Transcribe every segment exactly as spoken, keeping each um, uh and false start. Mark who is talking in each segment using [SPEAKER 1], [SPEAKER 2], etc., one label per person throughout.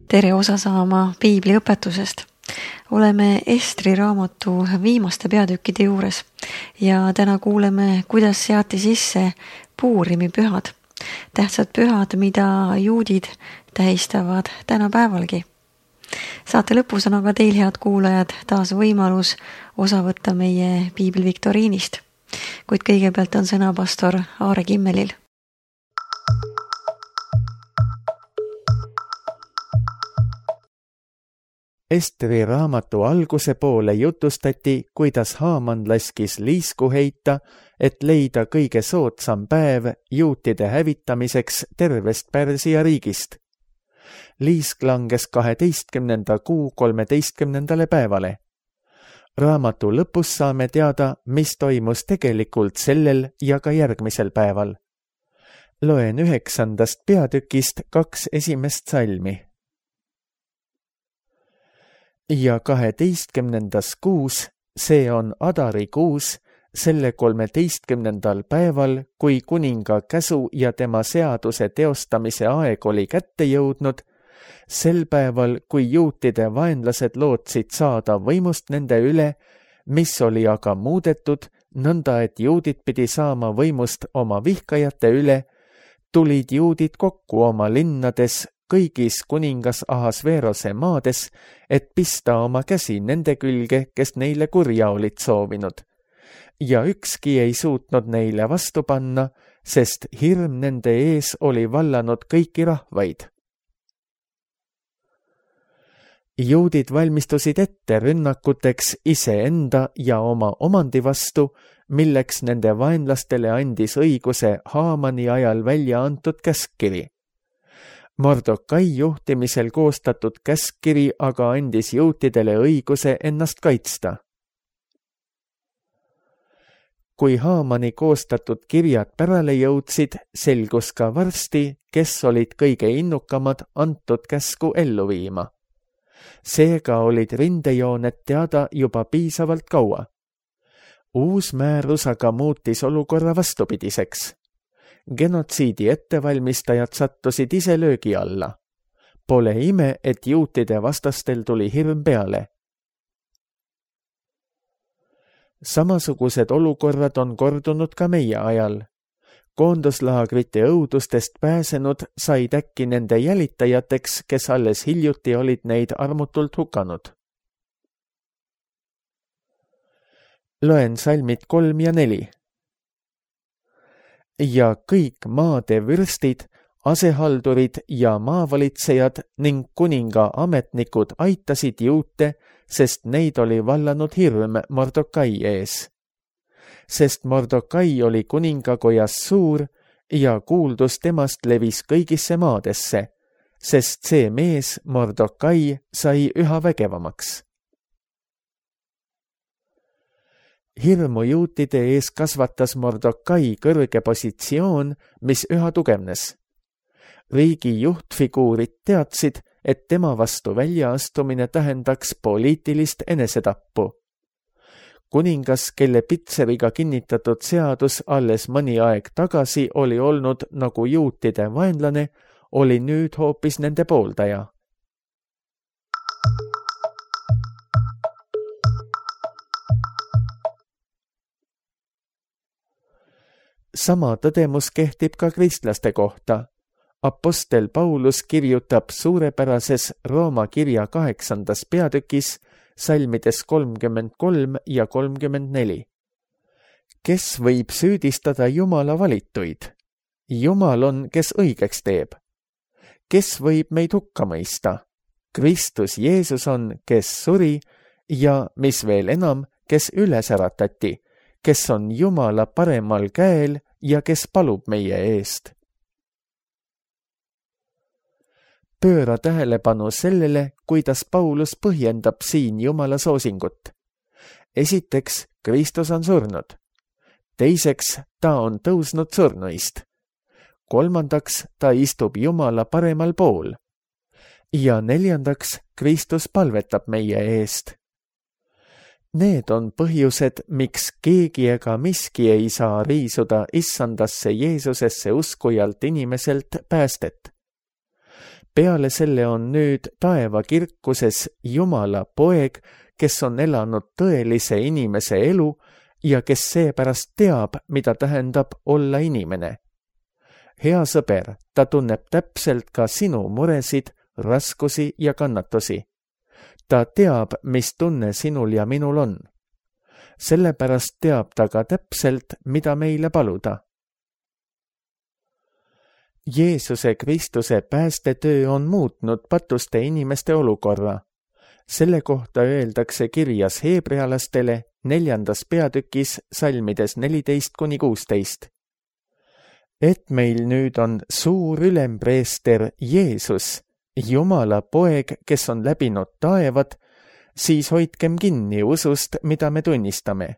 [SPEAKER 1] tere osa saama piibli õpetusest. Oleme Estri raamatu viimaste peatükkide juures ja täna kuuleme, kuidas seati sisse Puurimi pühad. Tähtsad pühad, mida juudid tähistavad tänapäevalgi. Saate lõpus on aga teil, head kuulajad, taas võimalus osa võtta meie piibli viktoriinist. Kuid kõigepealt on sõna pastor Aare Kimmelil.
[SPEAKER 2] Estri raamatu alguse poole jutustati, kuidas Haaman laskis liisku heita, et leida kõige soodsam päev juutide hävitamiseks tervest Pärsia riigist. Liisk langes kaheteistkümnenda kuu kolmeteistkümnendale päevale. Raamatu lõpus saame teada, mis toimus tegelikult sellel ja ka järgmisel päeval. Loen üheksandast peatükist kaks esimest salmi. Ja kaheteistkümnendas kuus, see on Adari kuus, selle kolmeteistkümnendal päeval, kui kuninga käsu ja tema seaduse teostamise aeg oli kätte jõudnud, sel päeval, kui juutide vaenlased lootsid saada võimust nende üle, mis oli aga muudetud, nõnda et juudid pidi saama võimust oma vihkajate üle, tulid juudid kokku oma linnades, kõigis kuningas Ahasveerose maades, et pista oma käsi nende külge, kes neile kurja olid soovinud. Ja ükski ei suutnud neile vastu panna, sest hirm nende ees oli vallanud kõiki rahvaid. Juudid valmistusid ette rünnakuteks iseenda ja oma omandi vastu, milleks nende vaenlastele andis õiguse Haamani ajal välja antud käskkiri. Mordokai juhtimisel koostatud käskkiri aga andis juutidele õiguse ennast kaitsta. Kui Haamani koostatud kirjad pärale jõudsid, selgus ka varsti, kes olid kõige innukamad antud käsku ellu viima. Seega olid rindejooned teada juba piisavalt kaua. Uus määrus aga muutis olukorra vastupidiseks. Genotsiidi ettevalmistajad sattusid ise löögi alla. Pole ime, et juutide vastastel tuli hirm peale. Samasugused olukorrad on kordunud ka meie ajal. Koonduslaagrite õudustest pääsenud said äkki nende jälitajateks, kes alles hiljuti olid neid armutult hukanud. Loen salmid kolm ja neli. Ja kõik maade vürstid, asehaldurid ja maavalitsejad ning kuninga ametnikud aitasid juute, sest neid oli vallanud hirm Mordokai ees. Sest Mordokai oli kuningakojas suur ja kuuldus temast levis kõigisse maadesse, sest see mees Mordokai sai üha vägevamaks. Hirmu juutide ees kasvatas Mordokai kõrge positsioon, mis üha tugevnes. Riigi juhtfiguurid teadsid, et tema vastu väljaastumine tähendaks poliitilist enesetappu. Kuningas, kelle Pitseriga kinnitatud seadus alles mõni aeg tagasi oli olnud nagu juutide vaenlane, oli nüüd hoopis nende pooldaja. Sama tõdemus kehtib ka kristlaste kohta. Apostel Paulus kirjutab suurepärases Rooma kirja kaheksandas peatükis, salmides kolmkümmend kolm ja kolmkümmend neli. Kes võib süüdistada Jumala valituid? Jumal on, kes õigeks teeb. Kes võib meid hukka mõista? Kristus Jeesus on, kes suri ja, mis veel enam, kes üles äratati, kes on Jumala paremal käel ja kes palub meie eest. Pööra tähelepanu sellele, kuidas Paulus põhjendab siin Jumala soosingut. Esiteks, Kristus on surnud. Teiseks, ta on tõusnud surnuist. Kolmandaks, ta istub Jumala paremal pool. Ja neljandaks, Kristus palvetab meie eest. Need on põhjused, miks keegi ega miski ei saa riisuda issandasse Jeesusesse uskujalt inimeselt päästet. peale selle on nüüd taeva kirkuses Jumala poeg, kes on elanud tõelise inimese elu ja kes seepärast teab, mida tähendab olla inimene. Hea sõber, ta tunneb täpselt ka sinu muresid, raskusi ja kannatusi. Ta teab, mis tunne sinul ja minul on. Sellepärast teab ta ka täpselt, mida meile paluda. Jeesuse Kristuse päästetöö on muutnud patuste inimeste olukorra. Selle kohta öeldakse kirjas heebrealastele neljandas peatükis salmides neliteist kuni kuusteist. Et meil nüüd on suur ülempreester Jeesus, Jumala poeg, kes on läbinud taevad, siis hoidkem kinni usust, mida me tunnistame.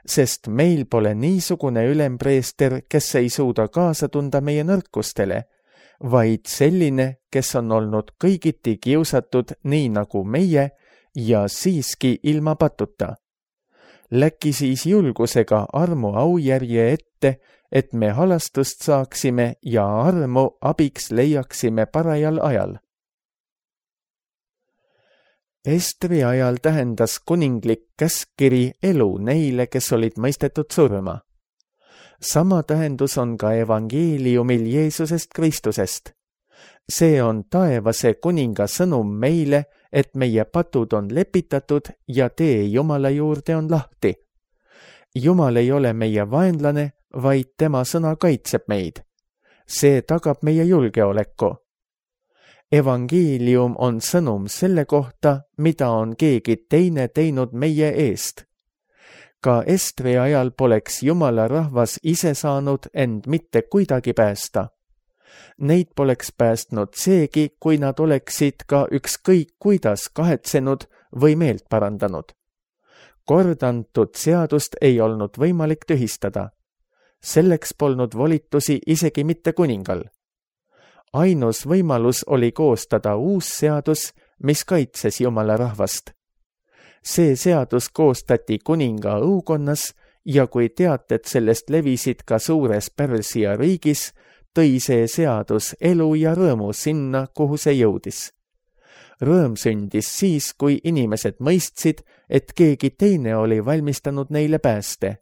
[SPEAKER 2] Sest meil pole niisugune ülempreester, kes ei suuda kaasa tunda meie nõrkustele, vaid selline, kes on olnud kõigiti kiusatud nii nagu meie ja siiski ilma patuta. Läki siis julgusega armu aujärje ette, et me halastust saaksime ja armu abiks leiaksime parajal ajal. Estri ajal tähendas kuninglik käskkiri elu neile, kes olid mõistetud surma. Sama tähendus on ka evangeeliumil Jeesusest Kristusest. See on taevase kuninga sõnum meile, et meie patud on lepitatud ja tee Jumala juurde on lahti. Jumal ei ole meie vaenlane, vaid tema sõna kaitseb meid. See tagab meie julgeoleku. Evangeelium on sõnum selle kohta, mida on keegi teine teinud meie eest. Ka Estri ajal poleks Jumala rahvas ise saanud end mitte kuidagi päästa. Neid poleks päästnud seegi, kui nad oleksid ka ükskõik kuidas kahetsenud või meelt parandanud. Kordantud seadust ei olnud võimalik tühistada. Selleks polnud volitusi isegi mitte kuningal. Ainus võimalus oli koostada uus seadus, mis kaitses Jumala rahvast. See seadus koostati kuninga õukonnas ja kui teated sellest levisid ka suures Pärsia riigis, tõi see seadus elu ja rõõmu sinna, kuhu see jõudis. Rõõm sündis siis, kui inimesed mõistsid, et keegi teine oli valmistanud neile pääste.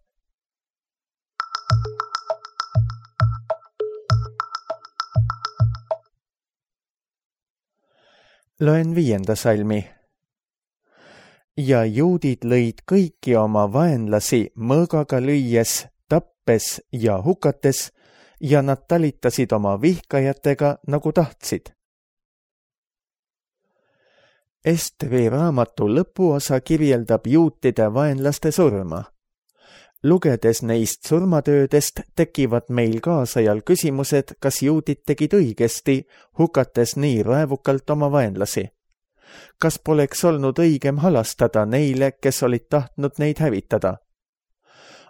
[SPEAKER 2] Loen viienda salmi. Ja juudid lõid kõiki oma vaenlasi mõõgaga lüües, tappes ja hukates, ja nad talitasid oma vihkajatega nagu tahtsid. Estri raamatu lõpuosa kirjeldab juutide vaenlaste surma. Lugedes neist surmatöödest tekivad meil kaasajal küsimused, kas juudid tegid õigesti, hukates nii raevukalt oma vaenlasi. Kas poleks olnud õigem halastada neile, kes olid tahtnud neid hävitada?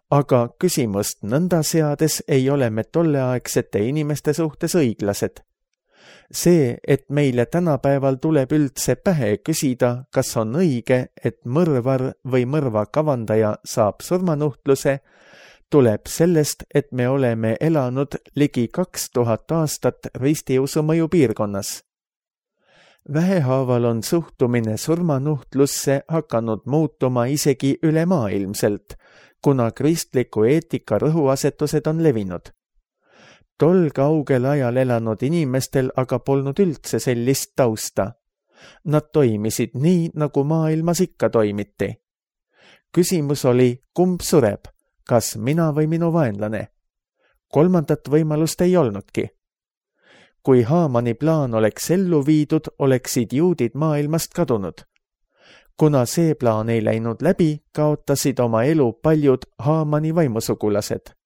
[SPEAKER 2] Aga küsimust nõnda seades ei ole me tolleaegsete inimeste suhtes õiglased. See, et meile tänapäeval tuleb üldse pähe küsida, kas on õige, et mõrvar või mõrva kavandaja saab surmanuhtluse, tuleb sellest, et me oleme elanud ligi kaks tuhat aastat ristiusu mõjupiirkonnas. Vähehaaval on suhtumine surmanuhtlusse hakanud muutuma isegi ülemaailmselt, kuna kristliku eetika rõhuasetused on levinud. Tol kaugel ajal elanud inimestel aga polnud üldse sellist tausta. Nad toimisid nii, nagu maailmas ikka toimiti. Küsimus oli, kumb sureb, kas mina või minu vaenlane? Kolmandat võimalust ei olnudki. Kui Haamani plaan oleks ellu viidud, oleksid juudid maailmast kadunud. Kuna see plaan ei läinud läbi, kaotasid oma elu paljud Haamani vaimusugulased.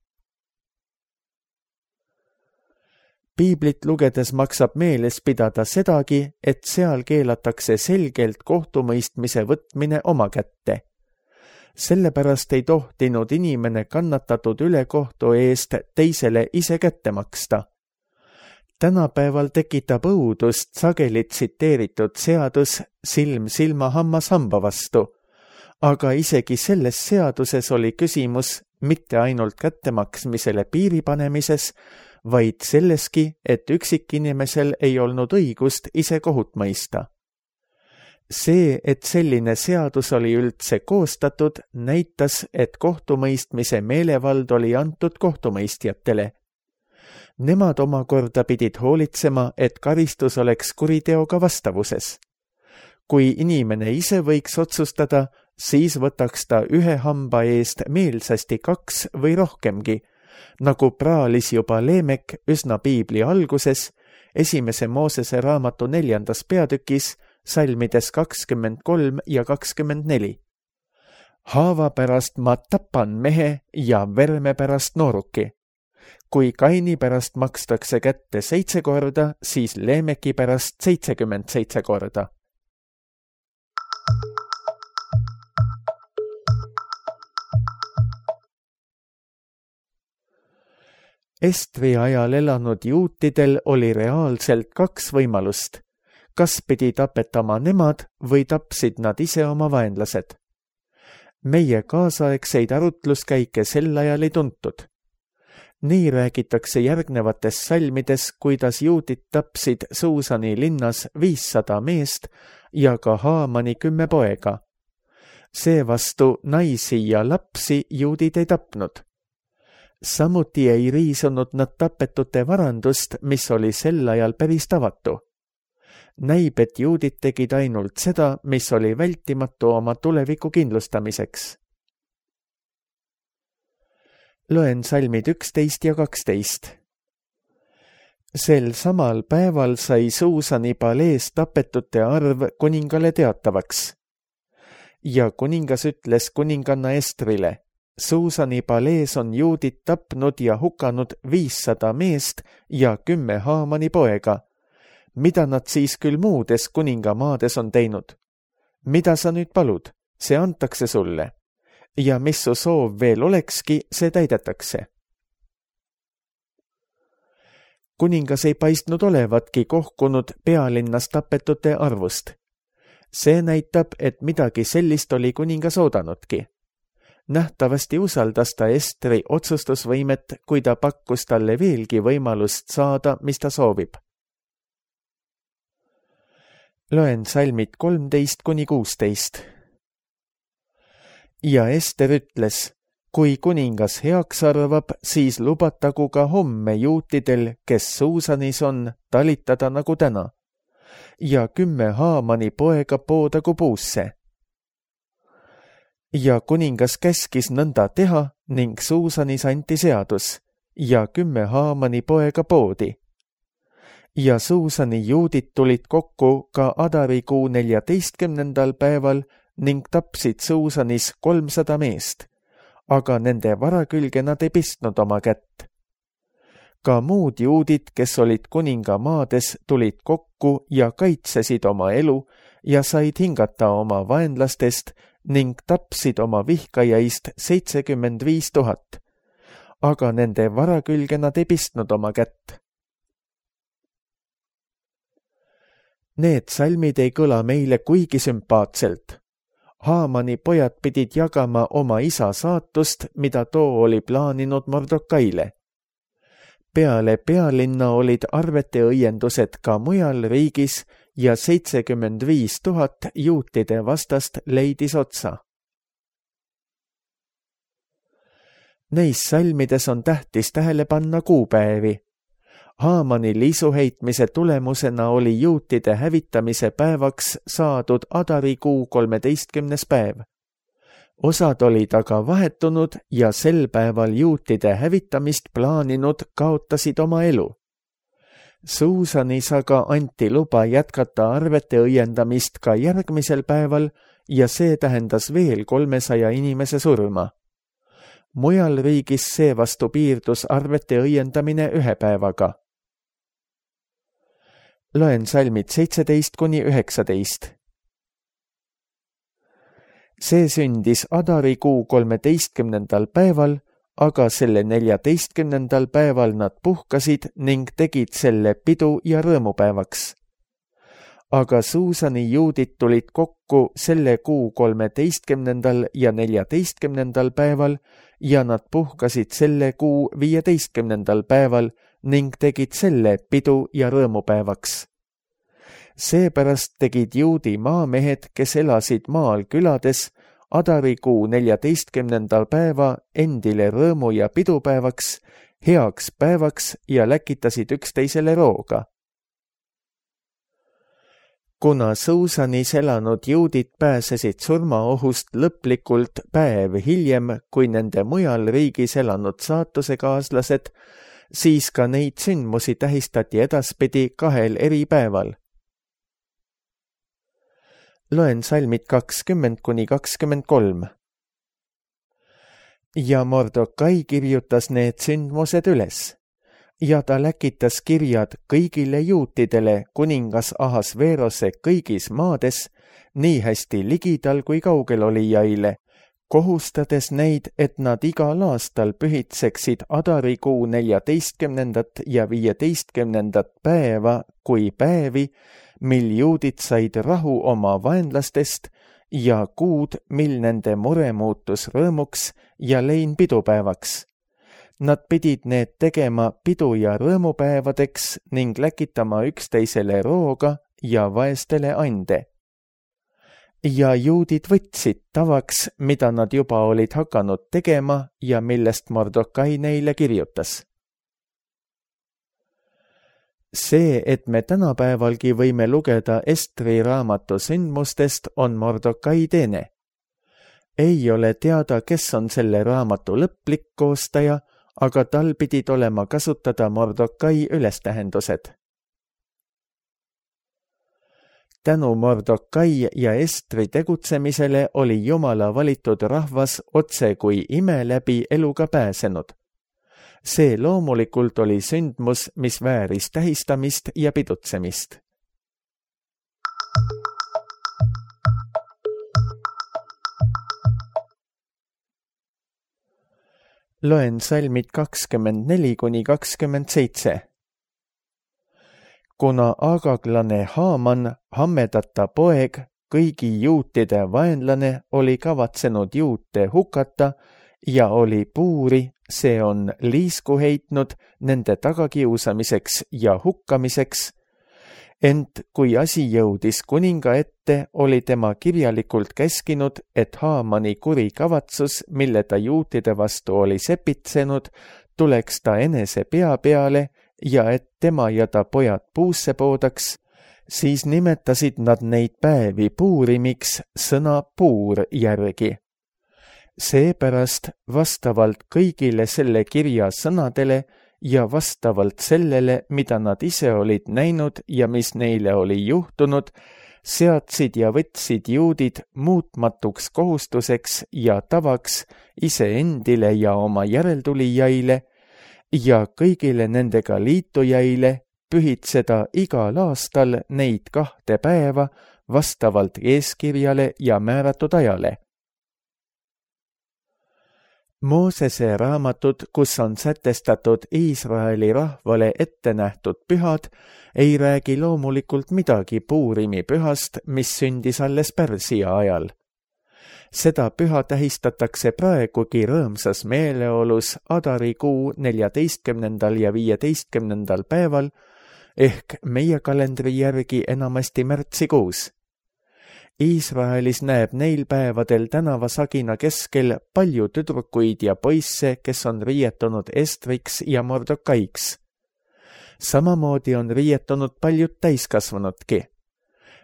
[SPEAKER 2] Piiblit lugedes maksab meeles pidada sedagi, et seal keelatakse selgelt kohtumõistmise võtmine oma kätte. Sellepärast ei tohtinud inimene kannatatud ülekohtu eest teisele ise kätte maksta. Tänapäeval tekitab õudust sageli tsiteeritud seadus silm silma hammas hamba vastu, aga isegi selles seaduses oli küsimus mitte ainult kättemaksmisele piiri panemises, vaid selleski, et üksikinimesel ei olnud õigust ise kohut mõista. See, et selline seadus oli üldse koostatud, näitas, et kohtumõistmise meelevald oli antud kohtumõistjatele. Nemad omakorda pidid hoolitsema, et karistus oleks kuriteoga vastavuses. Kui inimene ise võiks otsustada, siis võtaks ta ühe hamba eest meelsasti kaks või rohkemgi, nagu praalis juba Leemek üsna piibli alguses, esimese Moosese raamatu neljandas peatükis, salmides kakskümmend kolm ja kakskümmend neli. Haava pärast ma tapan mehe ja verme pärast nooruki. Kui Kaini pärast makstakse kätte seitse korda, siis Leemeki pärast seitsekümmend seitse korda. Estri ajal elanud juutidel oli reaalselt kaks võimalust. Kas pidi tapetama nemad või tapsid nad ise oma vaenlased? Meie kaasaegseid arutluskäike sel ajal ei tuntud. Nii räägitakse järgnevates salmides, kuidas juudid tapsid Suusani linnas viissada meest ja ka Haamani kümme poega. Seevastu naisi ja lapsi juudid ei tapnud. Samuti ei riisunud nad tapetute varandust, mis oli sel ajal päris tavatu. Näib, et juudid tegid ainult seda, mis oli vältimatu oma tuleviku kindlustamiseks. Loen salmid üksteist ja kaksteist. Sel samal päeval sai Suusani palees tapetute arv kuningale teatavaks. Ja kuningas ütles kuninganna Estrile, Suusani palees on juudid tapnud ja hukanud viissada meest ja kümme Haamani poega. Mida nad siis küll muudes kuningamaades on teinud? Mida sa nüüd palud? See antakse sulle. Ja mis su soov veel olekski, see täidetakse. Kuningas ei paistnud olevatki kohkunud pealinnas tapetute arvust. See näitab, et midagi sellist oli kuningas oodanudki. Nähtavasti usaldas ta Estri otsustusvõimet, kui ta pakkus talle veelgi võimalust saada, mis ta soovib. Loen salmid kolmteist kuni kuusteist. Ja Ester ütles, kui kuningas heaks arvab, siis lubatagu ka homme juutidel, kes Suusanis on, talitada nagu täna. Ja kümme Haamani poega poodagu puusse. Ja kuningas käskis nõnda teha ning Suusanis anti seadus ja kümme Haamani poega poodi. Ja Suusani juudid tulid kokku ka Adarikuu neljateistkümnendal päeval ning tapsid Suusanis kolmsada meest, aga nende vara külge nad ei pistnud oma kätt. Ka muud juudid, kes olid kuninga maades, tulid kokku ja kaitsesid oma elu ja said hingata oma vaenlastest ning tapsid oma vihkajaist seitsekümmend viis tuhat, aga nende vara külge nad ei pistnud oma kätt. Need salmid ei kõla meile kuigi sümpaatselt. Haamani pojad pidid jagama oma isa saatust, mida too oli plaaninud Mordokaile. Peale pealinna olid arvete õiendused ka mujal riigis ja seitsekümmend viis tuhat juutide vastast leidis otsa. Neis salmides on tähtis tähele panna kuupäevi. Haamani liisuheitmise tulemusena oli juutide hävitamise päevaks saadud Adarikuu kolmeteistkümnes päev. Osad olid aga vahetunud ja sel päeval juutide hävitamist plaaninud kaotasid oma elu. Suusanis aga anti luba jätkata arvete õiendamist ka järgmisel päeval ja see tähendas veel kolmesaja inimese surma. Mujal riigis seevastu piirdus arvete õiendamine ühe päevaga. Loen salmid seitseteist kuni üheksateist. See sündis Adarikuu kolmeteistkümnendal päeval, aga selle neljateistkümnendal päeval nad puhkasid ning tegid selle pidu ja rõõmupäevaks. Aga Suusani juudid tulid kokku selle kuu kolmeteistkümnendal ja neljateistkümnendal päeval ja nad puhkasid selle kuu viieteistkümnendal päeval ning tegid selle pidu- ja rõõmupäevaks. Seepärast tegid juudi maamehed, kes elasid maal külades, adarikuu neljateistkümnendal päeva endile rõõmu- ja pidupäevaks, heaks päevaks ja läkitasid üksteisele rooga. Kuna Suusanis elanud juudid pääsesid surmaohust lõplikult päev hiljem kui nende mujal riigis elanud saatusekaaslased, siis ka neid sündmusi tähistati edaspidi kahel eri päeval. Loen salmid kakskümmend kuni kakskümmend kolm. Ja Mordokai kirjutas need sündmused üles. Ja ta läkitas kirjad kõigile juutidele kuningas Ahasverose kõigis maades, nii hästi ligidal kui kaugel olijaile, kohustades neid, et nad igal aastal pühitseksid adarikuu neljateistkümnendat ja viieteistkümnendat päeva kui päevi, mil juudid said rahu oma vaenlastest ja kuud, mil nende mure muutus rõõmuks ja lein pidupäevaks. Nad pidid need tegema pidu- ja rõõmupäevadeks ning läkitama üksteisele rooga ja vaestele ande. Ja juudid võtsid tavaks, mida nad juba olid hakanud tegema ja millest Mordokai neile kirjutas. See, et me tänapäevalgi võime lugeda Estri raamatu sündmustest, on Mordokai teene. Ei ole teada, kes on selle raamatu lõplik koostaja, aga tal pidid olema kasutada Mordokai ülestähendused. Tänu Mordokai ja Estri tegutsemisele oli Jumala valitud rahvas otse kui ime läbi eluga pääsenud. See loomulikult oli sündmus, mis vääris tähistamist ja pidutsemist. Loen salmid kakskümmend neli kuni kakskümmend seitse. Kuna agaglane Haaman, Hammedata poeg, kõigi juutide vaenlane, oli kavatsenud juute hukata ja oli puuri, see on liisku heitnud nende tagakiusamiseks ja hukkamiseks, ent kui asi jõudis kuninga ette, oli tema kirjalikult käskinud, et Haamani kuri kavatsus, mille ta juutide vastu oli sepitsenud, tuleks ta enese pea peale ja et tema ja ta pojad puusse poodaks, siis nimetasid nad neid päevi puurimiks sõna puur järgi. Seepärast vastavalt kõigile selle kirja sõnadele ja vastavalt sellele, mida nad ise olid näinud ja mis neile oli juhtunud, seadsid ja võtsid juudid muutmatuks kohustuseks ja tavaks iseendile ja oma järeltulijaile ja kõigile nendega liitujaile pühitseda igal aastal neid kahte päeva vastavalt eeskirjale ja määratud ajale. Moosese raamatud, kus on sätestatud Iisraeli rahvale ette nähtud pühad, ei räägi loomulikult midagi Puurimi pühast, mis sündis alles Pärsia ajal. Seda püha tähistatakse praegugi rõõmsas meeleolus adarikuu neljateistkümnendal ja viieteistkümnendal päeval ehk meie kalendri järgi enamasti märtsikuus. Iisraelis näeb neil päevadel tänavasagina keskel palju tüdrukuid ja poisse, kes on riietunud Estriks ja Mordokaiks. Samamoodi on riietunud paljud täiskasvanudki.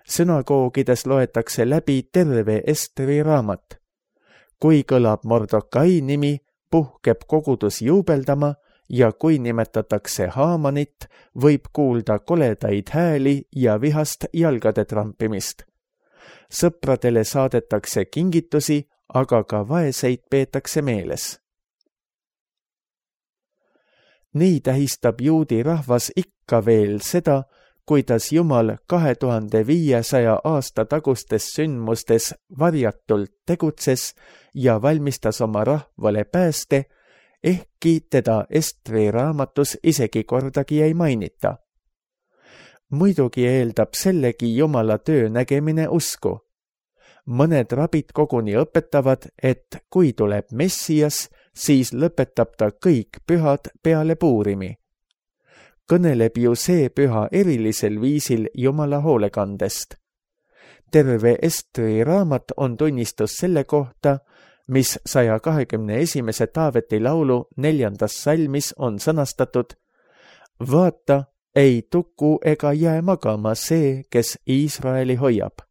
[SPEAKER 2] Sünagoogides loetakse läbi terve Estri raamat. Kui kõlab Mordokai nimi, puhkeb kogudus juubeldama ja kui nimetatakse Haamanit, võib kuulda koledaid hääli ja vihast jalgade trampimist. Sõpradele saadetakse kingitusi, aga ka vaeseid peetakse meeles. Nii tähistab juudi rahvas ikka veel seda, kuidas Jumal kahe tuhande viiesaja aasta tagustes sündmustes varjatult tegutses ja valmistas oma rahvale pääste, ehkki teda Estri raamatus isegi kordagi ei mainita. Muidugi eeldab sellegi Jumala töö nägemine usku. Mõned rabid koguni õpetavad, et kui tuleb Messias, siis lõpetab ta kõik pühad peale Puurimi. kõneleb ju see püha erilisel viisil Jumala hoolekandest. Terve Estri raamat on tunnistus selle kohta, mis saja kahekümne esimese Taaveti laulu neljandas salmis on sõnastatud: vaata, ei tuku ega jää magama see, kes Iisraeli hoiab.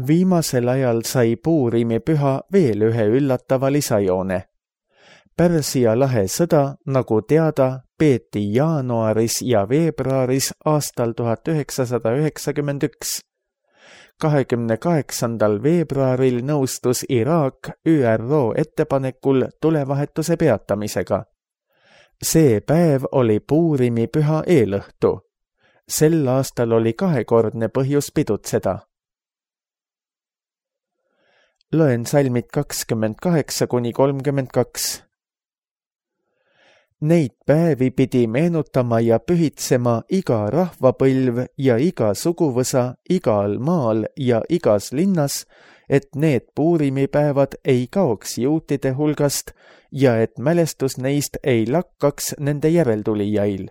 [SPEAKER 2] Viimasel ajal sai Puurimi püha veel ühe üllatava lisajoone. Pärsia lahe sõda, nagu teada, peeti jaanuaris ja veebruaris aastal tuhat üheksasada üheksakümmend üks. kahekümne kaheksandal veebruaril nõustus Iraak Ü R O ettepanekul tulevahetuse peatamisega. See päev oli Puurimi püha eelõhtu. Sel aastal oli kahekordne põhjus pidutseda. Loen salmid kakskümmend kaheksa kuni kolmkümmend kaks. Neid päevi pidi meenutama ja pühitsema iga rahvapõlv ja iga suguvõsa igal maal ja igas linnas, et need Puurimipäevad ei kaoks juutide hulgast ja et mälestus neist ei lakkaks nende järeltulijail.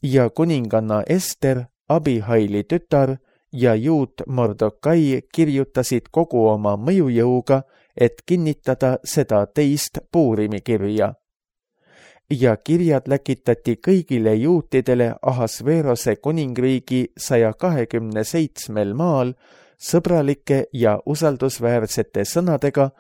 [SPEAKER 2] Ja kuninganna Ester, Abihaili tütar, ja juut Mordokai kirjutasid kogu oma mõjujõuga, et kinnitada seda teist Puurimi kirja. Ja kirjad läkitati kõigile juutidele Ahasverose kuningriigi saja kahekümne seitsmel maal sõbralike ja usaldusväärsete sõnadega,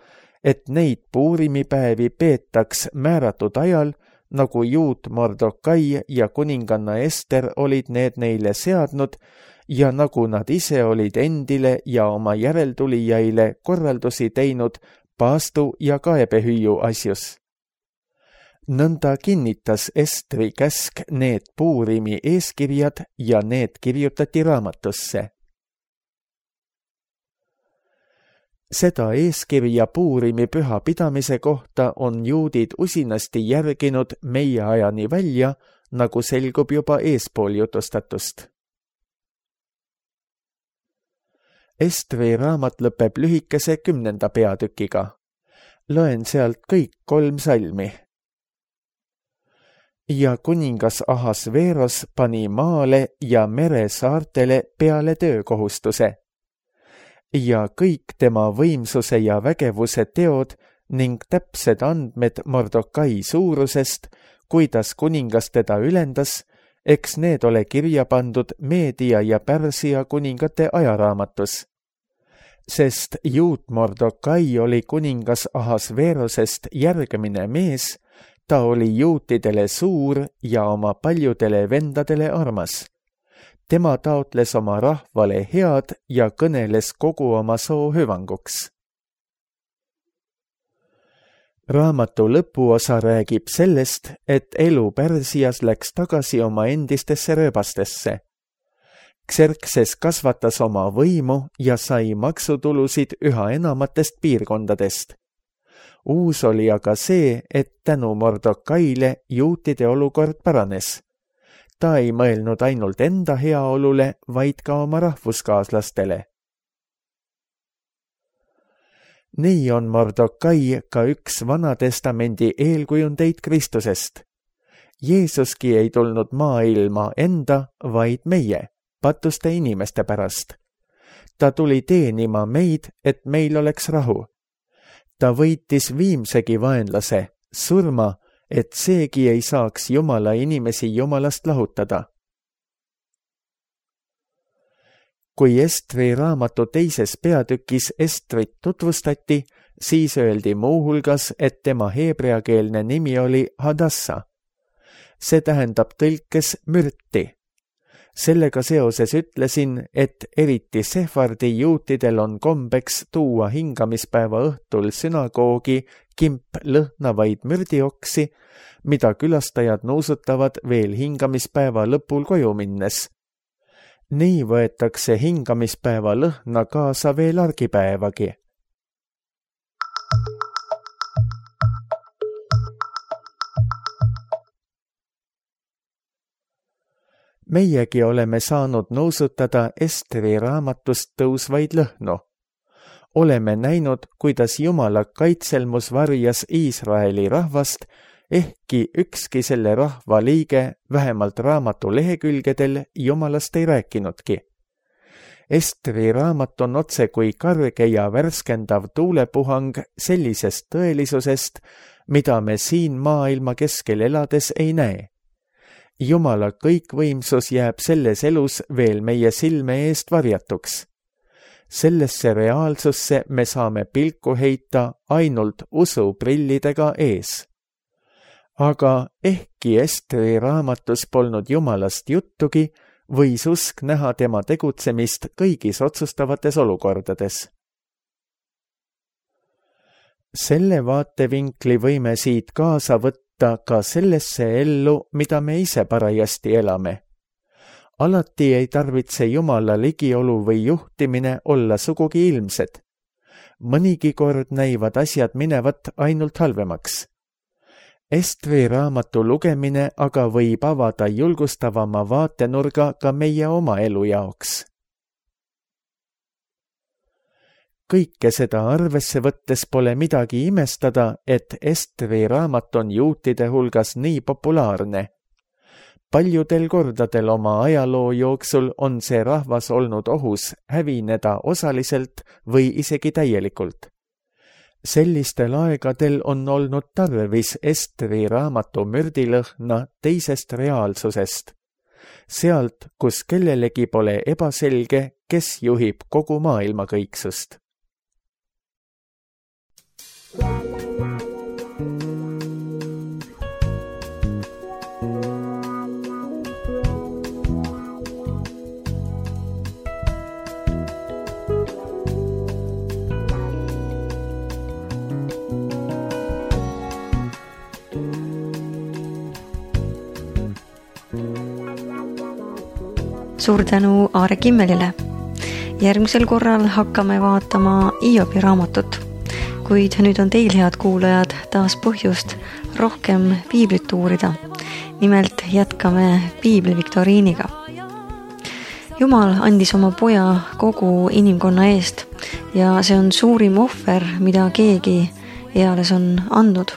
[SPEAKER 2] et neid Puurimipäevi peetaks määratud ajal, nagu juut Mordokai ja kuninganna Ester olid need neile seadnud ja nagu nad ise olid endile ja oma järeltulijaile korraldusi teinud paastu ja kaebehüüu asjus. Nõnda kinnitas Estri käsk need Puurimi eeskirjad ja need kirjutati raamatusse. Seda eeskirja Puurimi püha pidamise kohta on juudid usinasti järginud meie ajani välja, nagu selgub juba eespool jutustatust. Estri raamat lõpeb lühikese kümnenda peatükiga. Loen sealt kõik kolm salmi. Ja kuningas Ahasveros pani maale ja meresaartele peale töökohustuse. Ja kõik tema võimsuse ja vägevuse teod ning täpsed andmed Mordokai suurusest, kuidas kuningas teda ülendas, eks need ole kirja pandud Meedia ja Pärsia kuningate ajaraamatus. Sest juut Mordokai oli kuningas Ahasverosest järgmine mees, ta oli juutidele suur ja oma paljudele vendadele armas. Tema taotles oma rahvale head ja kõneles kogu oma soo hüvanguks. Raamatu lõpuosa räägib sellest, et elu Pärsias läks tagasi oma endistesse rööbastesse. Xerxes kasvatas oma võimu ja sai maksutulusid üha enamatest piirkondadest. Uus oli aga see, et tänu Mordokaile juutide olukord paranes. Ta ei mõelnud ainult enda heaolule, vaid ka oma rahvuskaaslastele. Nii on Mordokai ka üks Vanatestamendi eelkujundeid Kristusest. Jeesuski ei tulnud maailma enda, vaid meie, patuste inimeste pärast. Ta tuli teenima meid, et meil oleks rahu. Ta võitis viimsegi vaenlase, surma, et seegi ei saaks Jumala inimesi Jumalast lahutada. Kui Estri raamatu teises peatükis Estrit tutvustati, siis öeldi muuhulgas, et tema heebreakeelne nimi oli Hadassa. See tähendab tõlkes mürti. Sellega seoses ütlesin, et eriti sefardi juutidel on kombeks tuua hingamispäeva õhtul sünagoogi kimp lõhnavaid mürdioksi, mida külastajad nuusutavad veel hingamispäeva lõpul koju minnes. Nii võetakse hingamispäeva lõhna kaasa veel argipäevagi. Meiegi oleme saanud nuusutada Estri raamatust tõusvaid lõhnu. oleme näinud, kuidas Jumala kaitselmus varjas Iisraeli rahvast, ehkki ükski selle rahva liige vähemalt raamatu lehekülgedel Jumalast ei rääkinudki. Estri raamat on otse kui karge ja värskendav tuulepuhang sellisest tõelisusest, mida me siin maailma keskel elades ei näe. Jumala kõikvõimsus jääb selles elus veel meie silme eest varjatuks. Sellesse reaalsusse me saame pilku heita ainult usuprillidega ees. Aga ehkki Estri raamatus polnud Jumalast juttugi, võis usk näha tema tegutsemist kõigis otsustavates olukordades. Selle vaatevinkli võime siit kaasa võtta ka sellesse ellu, mida me ise parajasti elame. Alati ei tarvitse Jumala ligiolu või juhtimine olla sugugi ilmsed. Mõnigi kord näivad asjad minevat ainult halvemaks. Estri raamatu lugemine aga võib avada julgustavama vaatenurga ka meie oma elu jaoks. Kõike seda arvesse võttes pole midagi imestada, et Estri raamat on juutide hulgas nii populaarne. Paljudel kordadel oma ajaloo jooksul on see rahvas olnud ohus hävineda osaliselt või isegi täielikult. Sellistel aegadel on olnud tarvis Estri raamatu mürdilõhna teisest reaalsusest. Sealt, kus kellelegi pole ebaselge, kes juhib kogu maailma kõiksust.
[SPEAKER 1] Suur tänu Aare Kimmelile. Järgmisel korral hakkame vaatama Hiobi raamatut, kuid nüüd on teil, head kuulajad, taas põhjust rohkem piiblit uurida. Nimelt jätkame piibliviktoriiniga. Jumal andis oma poja kogu inimkonna eest ja see on suurim ohver, mida keegi eales on andnud.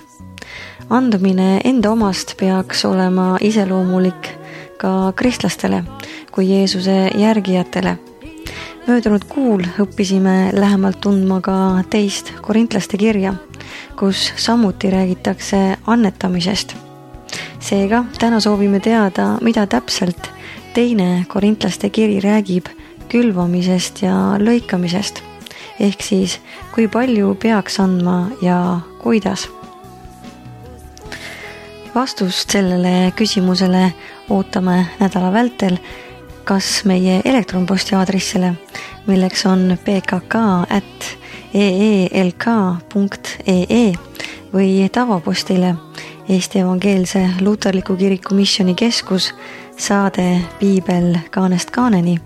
[SPEAKER 1] Andmine enda omast peaks olema iseloomulik ka kristlastele kui Jeesuse järgijatele. Möödunud kuul õppisime lähemalt tundma ka teist korintlaste kirja, kus samuti räägitakse annetamisest. Seega täna soovime teada, mida täpselt teine korintlaste kiri räägib külvamisest ja lõikamisest, ehk siis kui palju peaks andma ja kuidas. Vastust sellele küsimusele ootame nädala vältel kas meie elektronposti aadressile, milleks on p k k at e e l k punkt e e või tavapostile Eesti Evangeelse Luterliku Kiriku Missioonikeskus, saade Piibel kaanest kaaneni,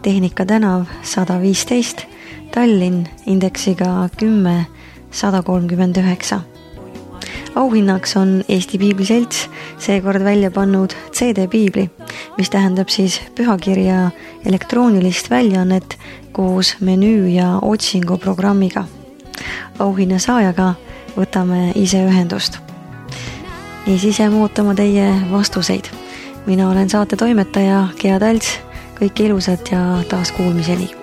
[SPEAKER 1] Tehnika tänav sada viisteist, Tallinn, indeksiga kümme sada kolmkümmend üheksa. Auhinnaks on Eesti Piibliselts seekord välja pannud C D-piibli, mis tähendab siis pühakirja elektroonilist väljaannet koos menüü ja otsinguprogrammiga. Auhinna saajaga võtame ise ühendust. Niisiis jääme ootama teie vastuseid. Mina olen saate toimetaja Gea Talts, kõike ilusat ja taas kuulmiseni.